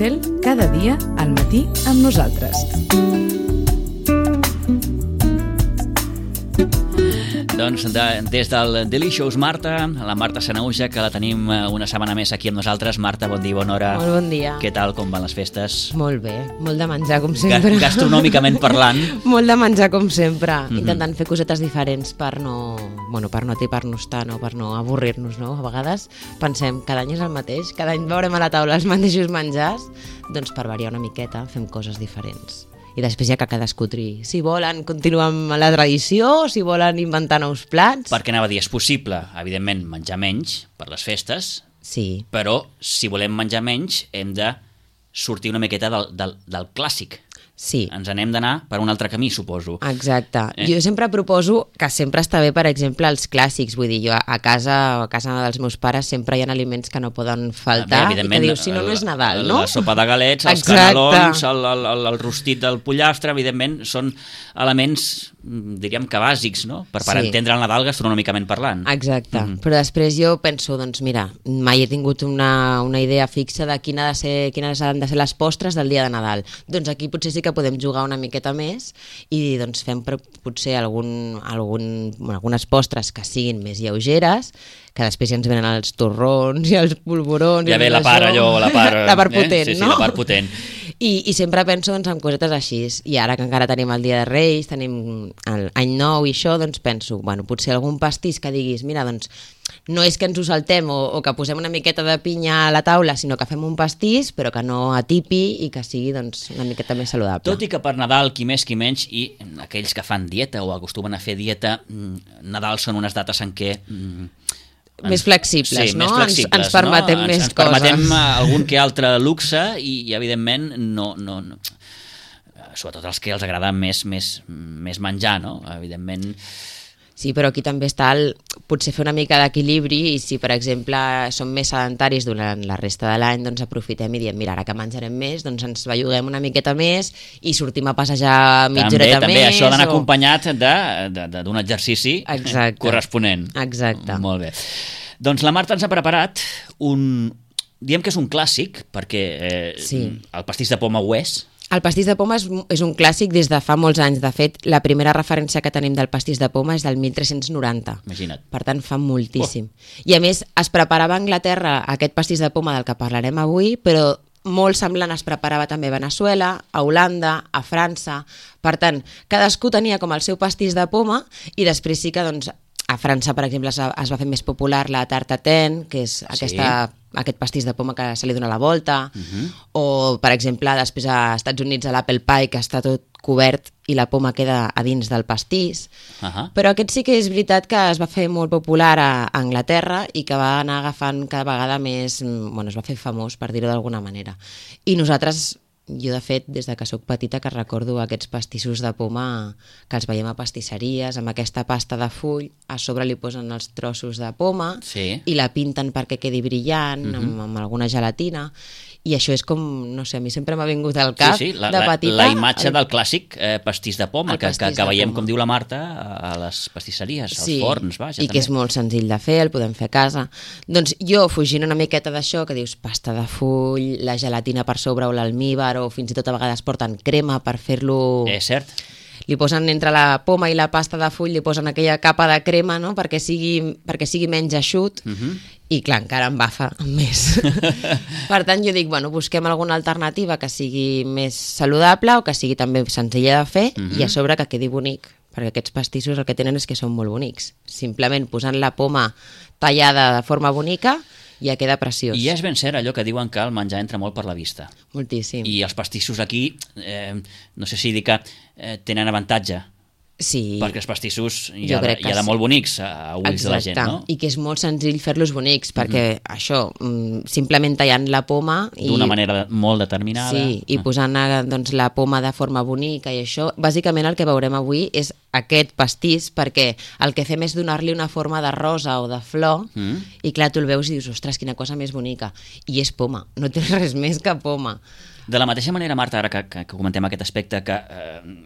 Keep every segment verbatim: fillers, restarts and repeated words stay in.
Pixel, cada dia al matí amb nosaltres. Doncs de, des del Delicious Marta, la Marta Sanahuja, que la tenim una setmana més aquí amb nosaltres. Marta, bon dia, bona hora. Molt bon dia. Què tal, com van les festes? Molt bé, molt de menjar, com sempre. Ga gastronòmicament parlant. Molt de menjar, com sempre. Mm-hmm. Intentant fer cosetes diferents per no, bueno, per no atipar-nos tant o per no avorrir-nos, no? A vegades pensem, cada any és el mateix, cada any veurem a la taula els mateixos menjars, doncs per variar una miqueta fem coses diferents. I després ja que cadascú triï. Si volen continuar amb la tradició, si volen inventar nous plats... Perquè anava a dir, és possible, evidentment, menjar menys per les festes, sí. Però si volem menjar menys hem de sortir una miqueta del, del, del clàssic. Sí. Ens n'hem d'anar per un altre camí, suposo. Exacte. Eh? Jo sempre proposo que sempre està bé, per exemple, els clàssics. Vull dir, jo a casa, a casa dels meus pares sempre hi ha aliments que no poden faltar i que dius, si no, no és Nadal, no? La sopa de galets, els Exacte. canelons, el, el, el, el rostit del pollastre, evidentment, són elements, diríem que bàsics, no? Per, per sí. entendre el Nadal gastronòmicament parlant. Exacte. Mm-hmm. Però després jo penso, doncs mira, mai he tingut una, una idea fixa de quina ha de ser, quines han de ser les postres del dia de Nadal. Doncs aquí potser sí que podem jugar una miqueta més i doncs fem potser algun, algun, bueno, algunes postres que siguin més lleugeres, que després ja ens venen els torrons i els polvorons... Ja i ve la part allò, la part... la part potent, eh? sí, sí, no? la part potent. I, I sempre penso doncs, en cosetes així. I ara que encara tenim el Dia de Reis, tenim l'any nou i això, doncs penso, bueno, potser algun pastís que diguis, mira, doncs no és que ens ho saltem o, o que posem una miqueta de pinya a la taula, sinó que fem un pastís, però que no atipi i que sigui doncs, una miqueta més saludable. Tot i que per Nadal, qui més qui menys, i aquells que fan dieta o acostumen a fer dieta, Nadal són unes dates en què... Ens, més flexibles, sí, no? Més flexibles, ens, ens permetem no? més ens, ens coses. Ens permetem algun que altre luxe i, i evidentment, no, no, no, sobretot els que els agrada més, més, més menjar, no? Evidentment... Sí, però aquí també està el, potser fer una mica d'equilibri i si, per exemple, som més sedentaris durant la resta de l'any, doncs aprofitem i diem, mira, ara que menjarem més, doncs ens belluguem una miqueta més i sortim a passejar mitja també, horeta també, més. També, això ha d'anar o... acompanyat d'un exercici Exacte. corresponent. Exacte. Molt bé. Doncs la Marta ens ha preparat un... Diem que és un clàssic, perquè eh, sí. el pastís de poma ho és. El pastís de poma és, és un clàssic des de fa molts anys. De fet, la primera referència que tenim del pastís de poma és del mil tres-cents noranta. Imagina't. Per tant, fa moltíssim. Oh. I a més, es preparava a Anglaterra aquest pastís de poma del que parlarem avui, però molt semblant es preparava també a Veneçuela, a Holanda, a França. Per tant, cadascú tenia com el seu pastís de poma i després sí que, doncs, a França, per exemple, es va fer més popular la tartatin, que és aquesta, sí. aquest pastís de poma que se li dona la volta, uh-huh. o, per exemple, després als Estats Units l'apple pie, que està tot cobert i la poma queda a dins del pastís. Uh-huh. Però aquest sí que és veritat que es va fer molt popular a Anglaterra i que va anar agafant cada vegada més... Bueno, es va fer famós, per dir-ho d'alguna manera. I nosaltres... Jo, de fet, des de que sóc petita que recordo aquests pastissos de poma que els veiem a pastisseries, amb aquesta pasta de full, a sobre li posen els trossos de poma sí. i la pinten perquè quedi brillant, uh-huh. amb, amb alguna gelatina. I això és com, no sé, a mi sempre m'ha vingut al cap sí, sí, la, de petita. La, la imatge el... del clàssic eh, pastís de poma, que, que, que veiem, com diu la Marta, a les pastisseries, als sí, forns, vaja. I també. Que és molt senzill de fer, el podem fer a casa. Doncs jo, fugint una miqueta d'això, que dius pasta de full, la gelatina per sobre o l'almíbar, o fins i tot a vegades porten crema per fer-lo... És cert. Li posen entre la poma i la pasta de full, li posen aquella capa de crema, no?, perquè sigui, perquè sigui menys eixut, uh-huh. i clar, encara embafa més. Per tant, jo dic, bueno, busquem alguna alternativa que sigui més saludable o que sigui també senzilla de fer, uh-huh. i a sobre que quedi bonic, perquè aquests pastissos el que tenen és que són molt bonics. Simplement posant la poma tallada de forma bonica ja queda preciós. I és ben cert allò que diuen que el menjar entra molt per la vista. Moltíssim. I els pastissos aquí, eh, no sé si dir que eh, tenen avantatge. Sí. Perquè els pastissos hi ha, de, hi ha de molt bonics a, a ulls Exacte. De la gent, no? I que és molt senzill fer-los bonics, perquè mm-hmm. això, simplement tallant la poma... I... D'una manera molt determinada. Sí, i ah. posant doncs, la poma de forma bonica i això, bàsicament el que veurem avui és aquest pastís, perquè el que fem és donar-li una forma de rosa o de flor, mm. i clar, tu el veus i dius, ostres, quina cosa més bonica. I és poma, no té res més que poma. De la mateixa manera, Marta, ara que, que, que comentem aquest aspecte, que... Eh,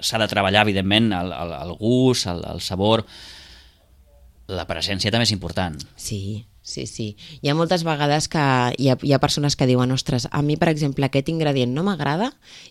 s'ha de treballar, evidentment, el, el, el gust, el, el sabor. La presència també és important. Sí, Sí, sí. Hi ha moltes vegades que hi ha, hi ha persones que diuen ostres, a mi, per exemple, aquest ingredient no m'agrada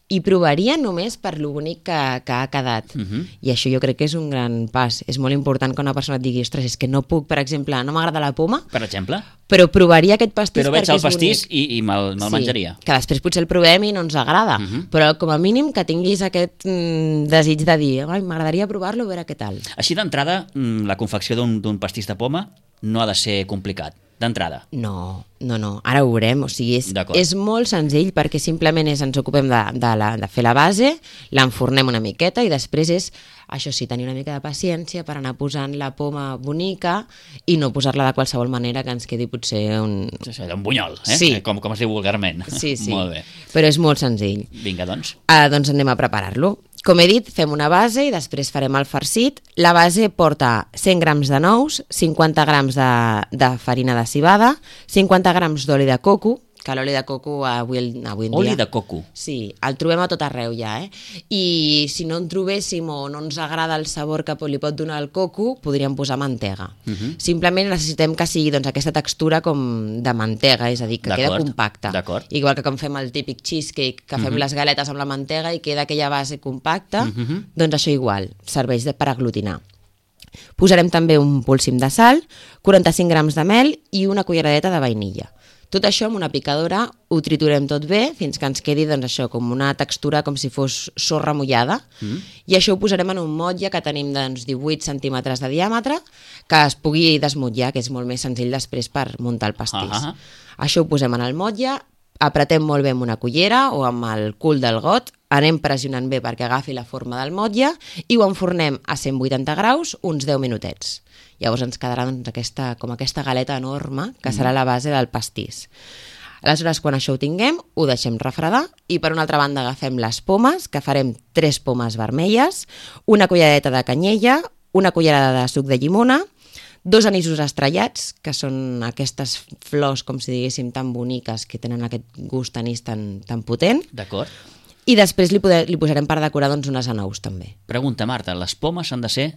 i provaria només per lo bonic que, que ha quedat. Uh-huh. I això jo crec que és un gran pas. És molt important que una persona et digui ostres, és que no puc, per exemple, no m'agrada la poma, per exemple? Però provaria aquest pastís però perquè és bonic. Però veig el pastís i, i me'l me sí, menjaria. Que després potser el provem i no ens agrada, uh-huh. però com a mínim que tinguis aquest mm, desig de dir m'agradaria provar-lo, a veure què tal. Així d'entrada, la confecció d'un pastís de poma no ha de ser complicat, d'entrada. No, no, no, ara ho veurem, o sigui, és, és molt senzill perquè simplement és, ens ocupem de, de, la, de fer la base, l'enfornem una miqueta i després és, això sí, tenir una mica de paciència per anar posant la poma bonica i no posar-la de qualsevol manera que ens quedi potser un... Sí, sí, un bunyol, eh? Sí. Com, com es diu vulgarment. Sí, sí, molt bé. Però és molt senzill. Vinga, doncs. Uh, doncs anem a preparar-lo. Com he dit, fem una base i després farem el farcit. La base porta cent grams de nous, cinquanta grams de, de farina de civada, cinquanta grams d'oli de coco, que l'oli de coco avui, avui en dia... Oli de coco? Sí, el trobem a tot arreu ja, eh? I si no en trobéssim o no ens agrada el sabor que li pot donar el coco, podríem posar mantega. Uh-huh. Simplement necessitem que sigui doncs, aquesta textura com de mantega, és a dir, que queda compacta. Igual que com fem el típic cheesecake, que fem uh-huh. les galetes amb la mantega i queda aquella base compacta, uh-huh. doncs això igual, serveix per aglutinar. Posarem també un polsim de sal, quaranta-cinc grams de mel i una culleradeta de vainilla. Tot això amb una picadora ho triturem tot bé fins que ens quedi doncs, això, com una textura com si fos sorra mullada mm. i això ho posarem en un motlle que tenim doncs, divuit centímetres de diàmetre que es pugui desmotllar, que és molt més senzill després per muntar el pastís. Uh-huh. Això ho posem en el motlle, apretem molt bé amb una cullera o amb el cul del got, anem pressionant bé perquè agafi la forma del motlle i ho enfornem a cent vuitanta graus uns deu minutets. Llavors ens quedarà doncs, aquesta, com aquesta galeta enorme que serà la base del pastís. Aleshores, quan això ho tinguem, ho deixem refredar i per una altra banda agafem les pomes, que farem tres pomes vermelles, una culleradeta de canyella, una cullerada de suc de llimona, dos anissos estrellats, que són aquestes flors, com si diguéssim, tan boniques, que tenen aquest gust anís tan, tan potent. D'acord. I després li, poder, li posarem per decorar doncs, unes anous, també. Pregunta, Marta, les pomes han de ser...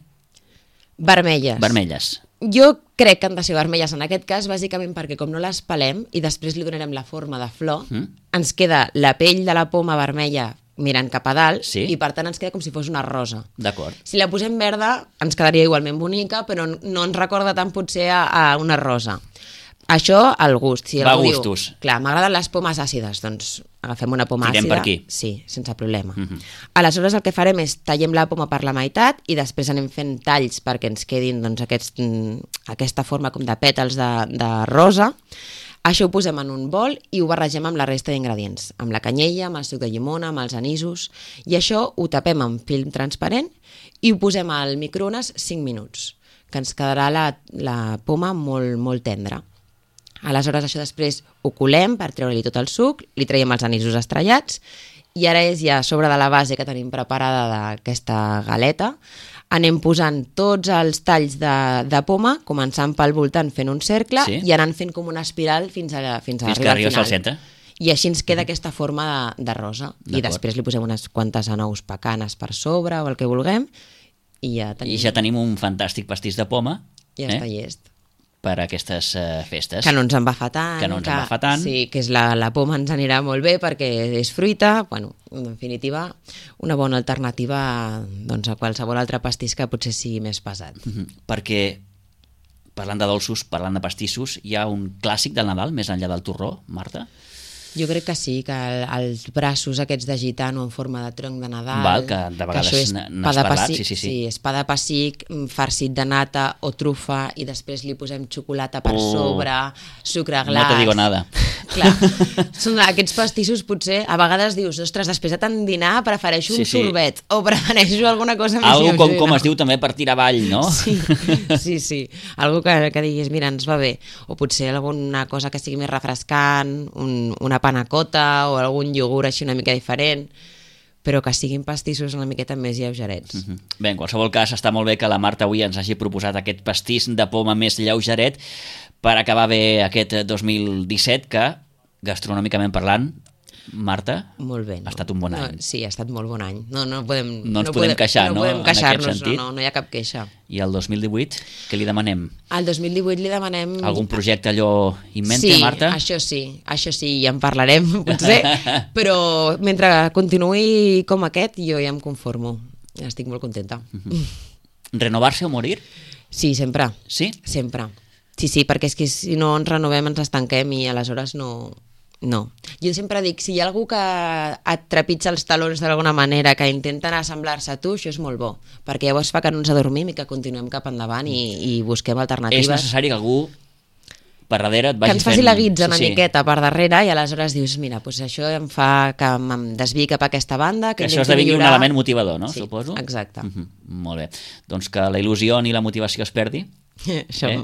Vermelles. Vermelles. Jo crec que han de ser vermelles en aquest cas, bàsicament perquè com no les pelem i després li donarem la forma de flor, mm. ens queda la pell de la poma vermella mirant cap a dalt sí. i per tant ens queda com si fos una rosa. D'acord. Si la posem verda ens quedaria igualment bonica, però no ens recorda tant potser a, a una rosa. Això al gust. Si va a gustos. Diu, clar, m'agraden les pomes àcides, doncs agafem una poma Tirem àcida. per aquí. Sí, sense problema. Uh-huh. Aleshores el que farem és tallem la poma per la meitat i després anem fent talls perquè ens quedin doncs, aquest, aquesta forma com de pètals de, de rosa. Això ho posem en un bol i ho barregem amb la resta d'ingredients, amb la canyella, amb el suc de llimona, amb els anissos, i això ho tapem amb film transparent i ho posem al microones cinc minuts, que ens quedarà la, la poma molt, molt tendra. Aleshores això després ho colem per treure-li tot el suc, li traiem els anissos estrellats i ara és ja a sobre de la base que tenim preparada d'aquesta galeta, anem posant tots els talls de, de poma, començant pel voltant fent un cercle sí. i anant fent com una espiral fins a, fins a fins arribar que arribes al al centre. I així ens queda aquesta forma de, de rosa. I després li posem unes quantes anous pecanes per sobre o el que vulguem i ja tenim, I ja tenim un fantàstic pastís de poma. Ja eh? està llest. Per a aquestes uh, festes. Que no ens en va fa tant. Que no ens que, en va fa tant. Sí, que és la, la poma ens anirà molt bé perquè és fruita. Bueno, en definitiva, una bona alternativa doncs, a qualsevol altre pastís que potser sigui més pesat. Mm-hmm. Perquè, parlant de dolços, parlant de pastissos, hi ha un clàssic del Nadal, més enllà del torró, Marta? Jo crec que sí, que el, els braços aquests de gitano en forma de tronc de Nadal... Val, que de vegades n'has parlat, sí, sí, sí. Sí, és pa de pessic, farcit de nata o trufa i després li posem xocolata per oh. sobre, sucre glaç... No te digo nada. Clar, són aquests pastissos potser, a vegades dius, ostres, després de tant dinar prefereixo sí, un sí. sorbet o prefereixo alguna cosa més Algo com, com es diu també per tirar avall, no? Sí, sí, sí. Algo que, que diguis, mira, ens va bé. O potser alguna cosa que sigui més refrescant, un, una panacota o algun iogurt així una mica diferent, però que siguin pastissos una miqueta més lleugerets. Uh-huh. Bé, en qualsevol cas, està molt bé que la Marta avui ens hagi proposat aquest pastís de poma més lleugeret per acabar bé aquest dos mil disset, que, gastronòmicament parlant, Marta, Molt bé. No? ha estat un bon any. No, sí, ha estat molt bon any. No, no, podem, No ens podem queixar, no, no podem en aquest queixar-nos, sentit. no, no, no hi ha cap queixa. I el dos mil divuit, què li demanem? Al dos mil divuit li demanem... Algun projecte allò in mente, sí, Marta? Sí, això sí, això sí, ja en parlarem, potser, però mentre continuï com aquest, jo ja em conformo. Estic molt contenta. Renovar-se o morir? Sí, sempre. Sí? Sempre. Sí, sí, perquè és que si no ens renovem ens estanquem i aleshores no... No. Jo sempre dic, si hi ha algú que et trepitja els talons d'alguna manera, que intenten assemblar-se a tu, això és molt bo, perquè llavors fa que no ens adormim i que continuem cap endavant i, i busquem alternatives. És necessari que algú per darrere et vagi que ens faci fent... la guitza una sí, sí. miqueta per darrere i aleshores dius, mira, doncs això em fa que em desviï cap a aquesta banda, que, Que això intenti esdevingui un millorar. element motivador, no? Sí, Suposo? exacte. Uh -huh. Molt bé. Doncs que la il·lusió ni la motivació es perdi. Això. Eh?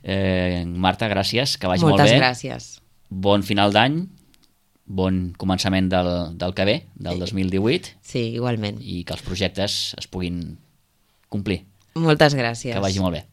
Eh, Marta, gràcies, que vagi Moltes molt bé. gràcies. Bon final d'any, bon començament del, del que ve, del Sí. dos mil divuit, Sí, igualment. i que els projectes es puguin complir. Moltes gràcies. Que vagi molt bé.